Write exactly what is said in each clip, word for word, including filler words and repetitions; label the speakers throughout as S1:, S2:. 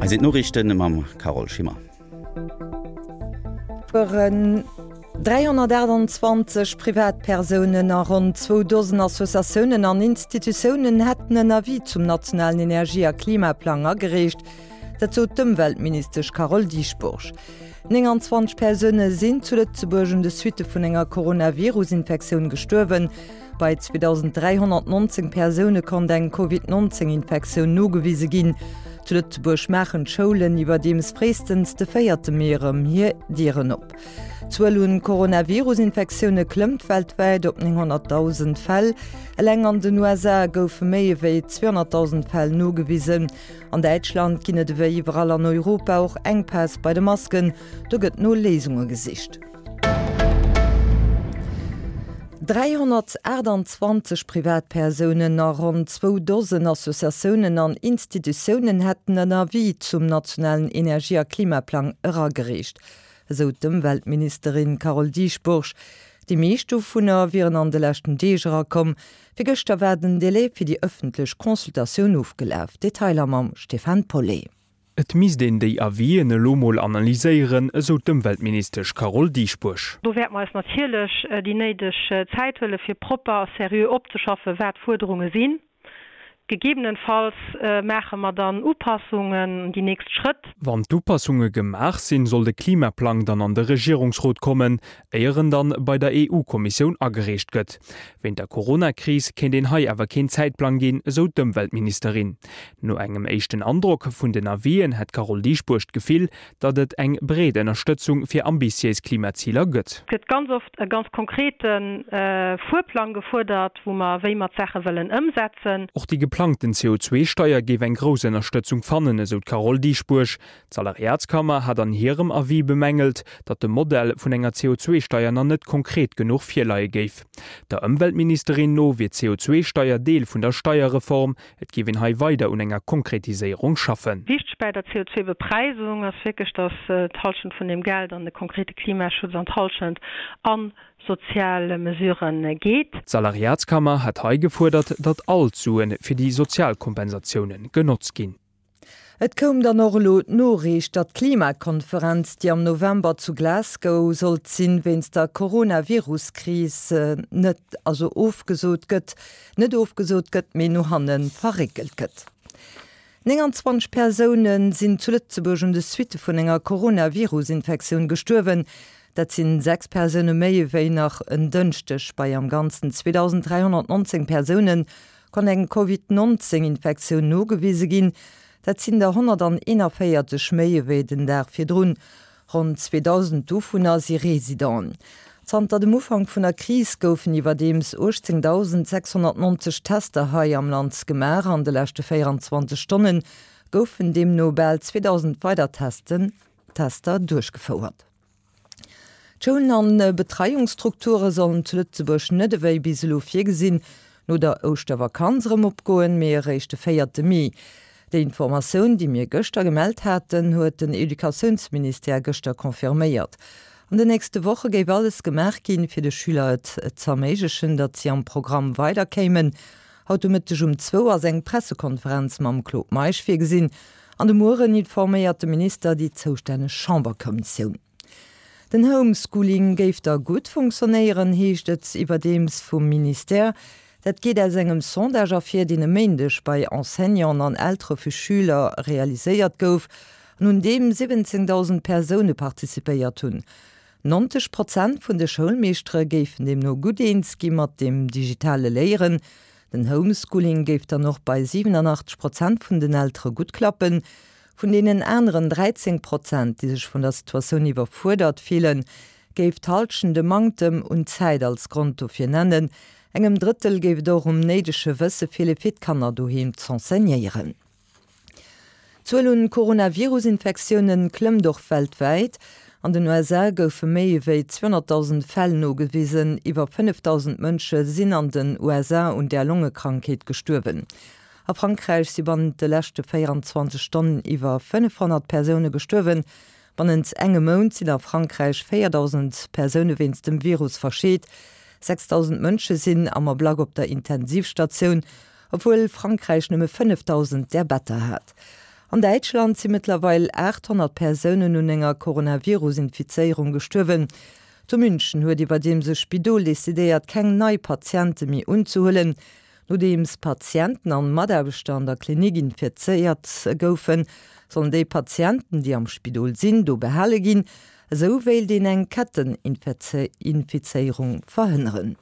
S1: Hei sinn d'Noriichten mam Carole Schimmer.
S2: dräihonnertaachtanzwanzeg Privatpersounen a ronn zwou Dosen Associatiounen an Institutiounen hätten en Avis zum nationalen Energie a Klimaplang agereecht. Dat sot d'Ëmweltministesch Carole Dieschbourg. nénganzwanzeg Persoune sinn zu Lëtzebuerg un de Suitte vun enger Coronavirus-Infektioun gestuerwen. Bei zweedausend dräihonnertnonzéng Persoune konnt eng Covid nonzéng Infektioun nogewise ginn. Zu Lëtzebuerg maachen d'Schoulen iwwerdeems fréistens de véierte Mee erëm hir Dieren op. D'Zuel un Coronavirus-Infektioune klëmmt weltwäit op nénghonnertdausend Fäll. Eleng an den U S A goufe méi ewéi zweehonnertdausend Fäll nogewisen. An Däitschland ginn et ewéi iwwerall an Europa och Enkpäss bei de Masken. Do gëtt no Léisunge gesicht. Dräihonnertaachtanzwanzeg Privatpersounen a ronn zwou Dosen Associatiounen an Institutiounen hätten en Avis zum nationalen Energie a Klimaplang eragereecht, esou d'Ëmweltministerin Carole Dieschbourg. Déi meescht dovunner wieren an de leschten Deeg erakomm. Virgëschter war den Delai fir déi ëffentlech Consultatioun ofgelaf. Detailer mam Stéphane Paulet.
S3: Et misst een déi Avisen elo mol analyséieren, esou d'Ëmweltministesch Carole Dieschbourg.
S4: Do wäerte mer eis natierlech déi néideg Zäit huele fir propper a seriö opzeschaffen, wat d'Fuerderunge sinn. Gegebenenfalls maache mer dann Upassungen, déi nächst Schrëtt.
S3: Wann d'Upassunge gemaach sinn, soll de Klimaplang dann an de Regierungsrot kommen, éier en dann bei der E U-Kommissioun agereecht gëtt. Wéint der Corona-Kris kéint een hei awer keen Zäitplang ginn, esou d'Ëmweltministerin. No engem éischten Androck vun den Avisen hätt d'Carole Dieschbourg d'Gefill, datt et eng breet Ënnerstëtzung fir ambitiéis Klimaziler gëtt.
S4: Et gëtt ganz oft e ganz konkrete Fuerplang gefuerdert, wou mer, wéi mer d'Saache wëllen ëmsetzen.
S3: Och déi geplangten C O zwee Steier géif eng grouss Ënnerstëtzung fannen, esou d'Carole Dieschbourg. D'Salariatskammer hat an hirem Avis bemängelt, datt de Modell vun enger C O zwee Steier nach net konkret genuch virleie géif. Der Ëmweltministerin no wier d'C O zwee Steier Deel vun der Steierreform, et géif een hei weider un enger Konkretiséierung schaffen.
S4: Wichteg bei der C O zwee Bepreisung ass wierklech, datt d'Hallschent vun deem Geld an de konkrete Klimaschutz an d'Hallschent a sozial Mesurë geet.
S3: D'Salariatskammer hat hei gefuerdert, datt all d'Sue fir déi sozial Kompensatioune genotzt ginn.
S2: Et koum dann och elo d'Noriicht, datt d'Klimakonferenz, déi am November zu Glasgow sollt sinn, wéinst der Coronavirus-Kris net also ofgesot gëtt, net ofgesot gëtt, mee no hanne verréckelt gëtt. nénganzwanzeg Persoune sinn zu Lëtzebuerg un de Suitte vun enger Coronavirus-Infektioun gestuerwen. Dat sinn sechs Persoune méi ewéi nach en Dënschdeg. Bei am Ganzen zweedausend dräihonnertnonzéng Persoune konnt eng Covid nonzéng Infektioun nogewise ginn. Dat sinn der honnerteenanvéierzeg méi ewéi den Dag virdrun. Ronn zweedausend dovunner si Residenten. Zanter dem Ufank vun der Kris goufen iwwerdeems uechtzéngdausendsechshonnertnonzeg Tester hei am Land gemaach. An de leschte véierenzwanzeg Stonne goufen deemno bal zweedausend weider Testen Tester duerchgefouert. D'Schoulen an Betreiungsstrukture sollen zu Lëtzebuerg net ewéi bis elo virgesinn no der Ouschtervakanz erëm opgoen, mee eréischt de véierte Mee. Déi Informatioun, déi mir gëschter gemellt haten, huet den Educatiounsministère gëschter confirméiert. An den nächste Woche géif alles gemaach ginn, fir de Schüler et z'erméiglechen, datt si am Programm weiderkéimen. Haut de Mëtteg um zwou ass eng Pressekonferenz mam Claude Meisch virgesinn. An de Mueren informéiert de Minister déi zoustänneg Chamberkommissioun. Den Homeschooling géif da gutt funktionéieren, heescht et iwwerdeems vum Ministère. Dat geet aus engem Sondage ervir, deen e Méindeg bei Enseignanten an Eltere vu Schüler realiséiert gouf an un deem siwwenzéngdausend Persoune participéiert hunn. Nonzeg Prozent vun de Schoulmeeschtere géifen deemno gutt eens gi mat dem digitale Léieren. Den Homeschooling géif dann och bei siwenanachtzeg Prozent vun den Eltere gutt klappen. Vun deenen aneren dräizéng Prozent, déi sech vun der Situatioun iwwerfuerdert fillen, géif d'Hallschent de Manktem un Zäit als Grond dofir nennen. Engem Drëttel géif et och um néidege Wësse feele fir d'Kanner doheem z'enseignéieren. D'Zuel un Coronavirus-Infektioune klëmmt och weltwäit. An den U S A goufe méi ewéi zweehonnertdausend Fäll nogewisen. Iwwer fënnefdausend Mënsche sinn an den U S A un där Longekrankheet gestuerwen. A Frankräich si bannent de leschte véierenzwanzeg Stonnen iwwer fënnefhonnert Persoune gestuerwen. Bannent engem Mount sinn a Frankräich véierdausend Persoune wéinst dem Virus verscheet. Sechsdausend Mënsche sinn am Ablack op der Intensivstatioun, obwuel Frankräich nëmme fënnefdausend där Better hat. An Däitschland si mëttlerweil aacht honnert Persounen un enger Coronavirus-Infizéierung gestuerwen. Zu München huet iwwerdeems e Spidol decidéiert, keng nei Patiente méi unzehuelen. Nodeems Patienten an Mataarbechter an der Klinik infizéiert goufen, sollen déi Patienten, déi am Spidol sinn, do behale ginn. Esou wéilt een eng Ketteninfizéierung verhënneren.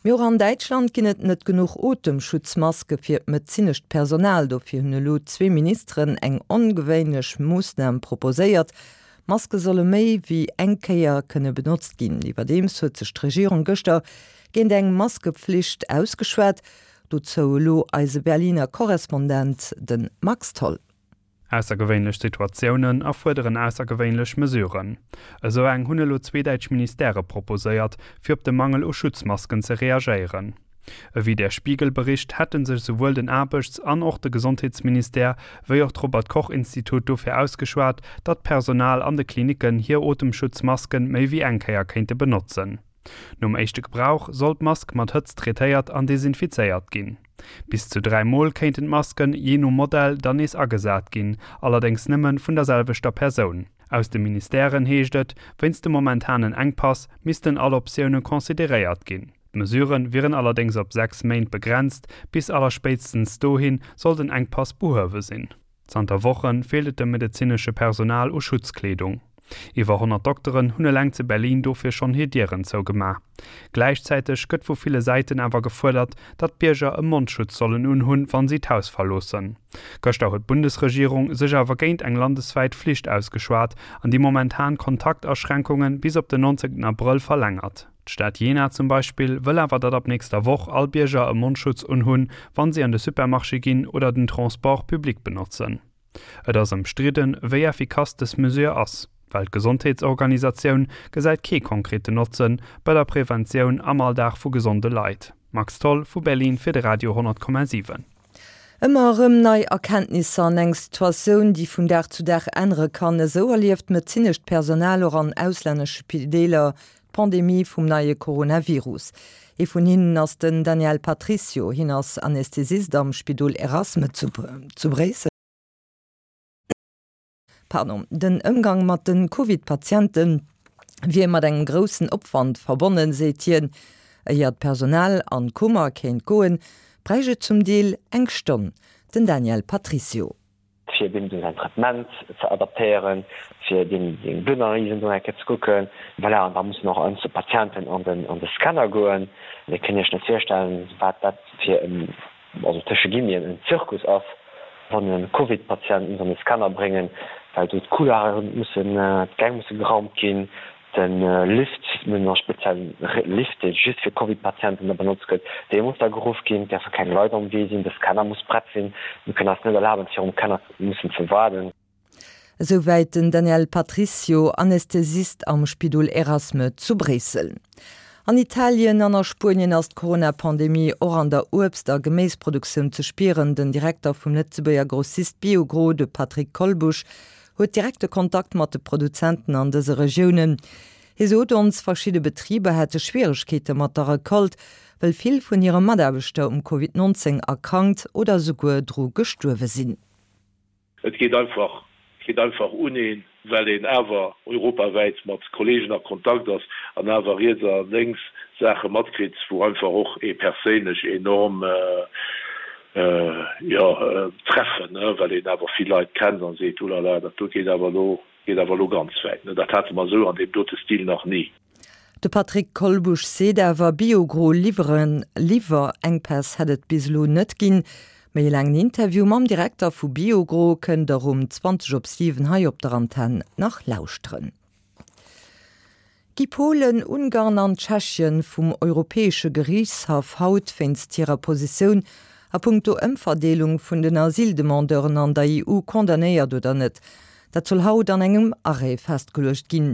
S2: Mee och an Däitschland ginn et net genuch Otemschutzmaske fir d'medezinescht Personal. Dofir hunn elo zwee Ministeren eng ongewéinlech Moossnam proposéiert, Maske solle méi wéi eng Kéier kënne benotzt ginn. Iwwerdeems huet sech d'Regierung gëschter géint eng Maskepflicht ausgeschwat. Dozou elo eise Berliner Korrespondent, de Max Tholl.
S5: Aussergewéinlech Situatiounen erfuerderen aussergewéinlech Mesuren. Esou eng hunn elo zwee däitsch Ministèrë proposéiert, fir op de Mangel u Schutzmasken ze reagéieren. Ewéi Der Spiegel bericht, hätte sech souwuel den Aarbechts an och de Gesondheetsministère wéi och d'Robert Koch Institut dofir ausgeschwat, datt d'Personal an de Klinicken hir Otemschutzmasken méi wéi eng Kéier kéinte benotzen. Nom éischte Gebrauch soll d'Mask mat Hëtzt traitéiert an desinfizéiert ginn. Bis zu dräi Mol kéinten d'Masken, jee no Modell, dann nees agesat ginn, allerdéngs nëmme vun der selwechter Persoun. Aus de Ministèren heescht et, wéinst dem momentanen Enkpass missten all Optioune consideréiert ginn. D'Mesurë wieren allerdéngs op sechs Méint begrenzt, bis allerspéitstens dohi soll den Enkpass behuewe sinn. Zanter Woche feelt et dem medezinesche Personal u Schutzkleedung. Iwwer honnert Dokteren hunn eleng zu Berlin dofir schonn hir Dieren zougemaach. Gläichzäiteg gëtt vu ville Säiten awer gefuerdert, datt d'Bierger e Mondschutz sollen unhunn, wann si d'Haus verloossen. Gëschter huet d'Bundesregierung sech awer géint eng landeswäit Flicht ausgeschwat an déi momentan Kontaktaschränkunge bis op den neunzehnten Abrëll verlängert. D'Stad Jena zum Beispill wëll awer, datt ab nächster Woch all Bierger e Mondschutz unhunn, wann si an de Supermarché ginn oder den Transport public benotzen. Et ass ëmstridden, wéi effikass dës Mesure ass. D'Weltgesondheetsorganisatioun gesäit kee konkreten Notzen bei der Preventioun am Alldag vu gesonde Leit. Max Tholl vu Berlin fir de Radio honnert Komma siwen.
S2: Ëmmer erëm nei Erkenntnisser an eng Situatioun, déi vun Dag zu Dag ännere kann, esou erlieft d'medezinescht Personal och an auslännesche Spideeler d'Pandemie vum neie Coronavirus. Ee vun hinnen ass den Daniel Patricio. Hien ass Anästhesist am Spidol Erasme zu Bréissel. Pardon, den Ëmgang mat de Covid-Patiente wier mat engem groussen Opwand verbonnen, seet hien. Éier d'Personal an d'Kummer kéint goen, bräicht et zum Deel eng Stonn. Den Daniel Patricio.
S6: Fir deem säin Traitement ze adaptéieren, fir deem seng Bluttanalysen do eng Kéier ze kucken. Voilà, an da mussen och einzel Patienten an den, an de Scanner goen. Dir kënnt Iech net virstellen, wat dat fir en, also tësche Guillemeten, en Zirkus ass, wann e Covid-Patient muss an de Scanner bréngen, well do d'Couloiren mussen, d'Gäng musse geraumt ginn, de Lift, mir hunn e speziellen Lift, dee just fir Covid-Patienten da benotzt gëtt, dee muss da geruff ginn, et däerfe keng Leit am Wee sinn, de Scanner muss prett sinn, mir kënnen eis net erlaben, virum Scanner mussen ze waarden.
S2: Esouwäit den Daniel Patricio, Anästhesist am Spidol Erasme zu Bréissel. An Italien an a Spuenien ass d'Corona-Pandemie och an der Uebst a Geméisproduktioun ze spieren. Den Direkter vum Lëtzebuerger Grossist Biogro, de Patrick Kolbusch, huet direkte Kontakt mat de Produzenten an dëse Regiounen. Hie sot ons, verschidde Betriber hätte Schwieregkeete mat der Recolte, well vill vun hire Mataarbechter um Covid neunzéng erkrankt oder souguer dru gestuerwe sinn.
S7: Et geet einfach, geet einfach un een, well een awer europawäit mat Kollegen a Kontakt ass an awer riets a lénks Saache matkritt, wou einfach och ee perséinlech enorm, jo, treffen, well een awer vill Leit kennt a seet, Ulala, dat do geet awer elo, geet awer elo ganz wäit. Dat hate mer esou an deem dote Stil nach ni.
S2: De Patrick Kolbusch seet awer, Biogro liwweren Liwwerenkpäss hätt et bis elo net ginn. Méi e laangen Interview mam Direkter vu Biogro kënnt der um zwanzeg op siwen hei op der Antenn nach lauschteren. Gi Polen, Ungarn an Tschechien vum Europäesche Geriichtshaff haut wéinst hirer Positioun a punkto Ëmverdeelung vun den Asyldemandeuren an der E U condamnéiert oder net? Dat soll haut an engem Arrêt festgeluecht ginn.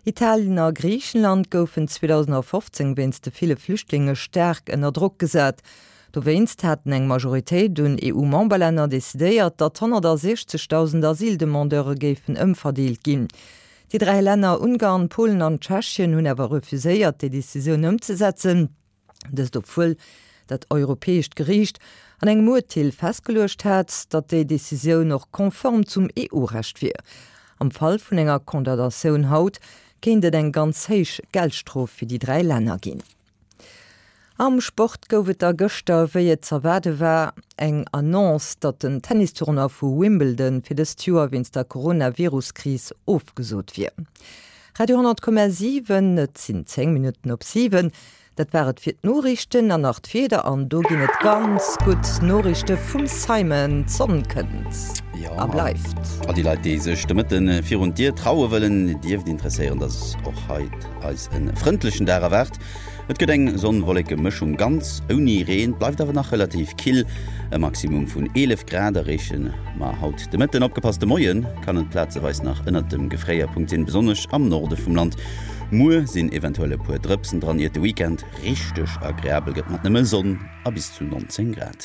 S2: Italien a Griichenland goufen zweedausendfofzéng wéinst de ville Flüchtlinge staark ënner Drock gesat. Dowéinst haten eng Majoritéit un E U-Memberlänner decidéiert, datt honnertsiechzegdausend Asyldemandeure géifen ëmverdeelt ginn. Déi dräi Länner Ungarn, Polen an Tschechien hunn awer refuséiert, déi Decisioun ëmzesetzen. Dëst obwuel dat Europäescht Geriicht an engem Urteel festgeluecht hat, datt déi Decisioun och konform zum EU-Recht wier. Am Fall vun enger Condamnatioun haut kéint et eng ganz héich Geldstrof fir déi dräi Länner ginn. Am Sport gouf et da gëschter, wéi et z'erwaarde war, eng Annonce, datt den Tennistournoi vu Wimbledon fir dëst Joer wéinst der Coronavirus-Kris ofgesot wier. Radio honnert Komma siwen, Et sinn zéng Minutten op siwen. Dat war et fir d'Noriichten an nach d'Wieder an do ginn et ganz gutt Noriichte vum Simon, D'Sonn kënnt a bleift.
S1: All déi Leit, déi sech de Mëtte virun d'Dier traue wëllen, dierft interesséieren, dass och haut eis e frëndlechen Dag erwaart. Et gëtt eng Sonn-Wolleke-Mëschung ganz ouni Reen, bleift awer nach relativ kill. E Maximum vun eelef Grad erreeche mer haut de Mëtten. Opgepasst, de Moie kann et plazeweis nach ënnert dem Gefréierpunkt sinn, besonnesch am Norde vum Land. Muer sinn eventuell e puer Drëpsen dran, iert de Weekend richteg agreabel gëtt mat nëmme Sonn a bis zu neunzéng Grad.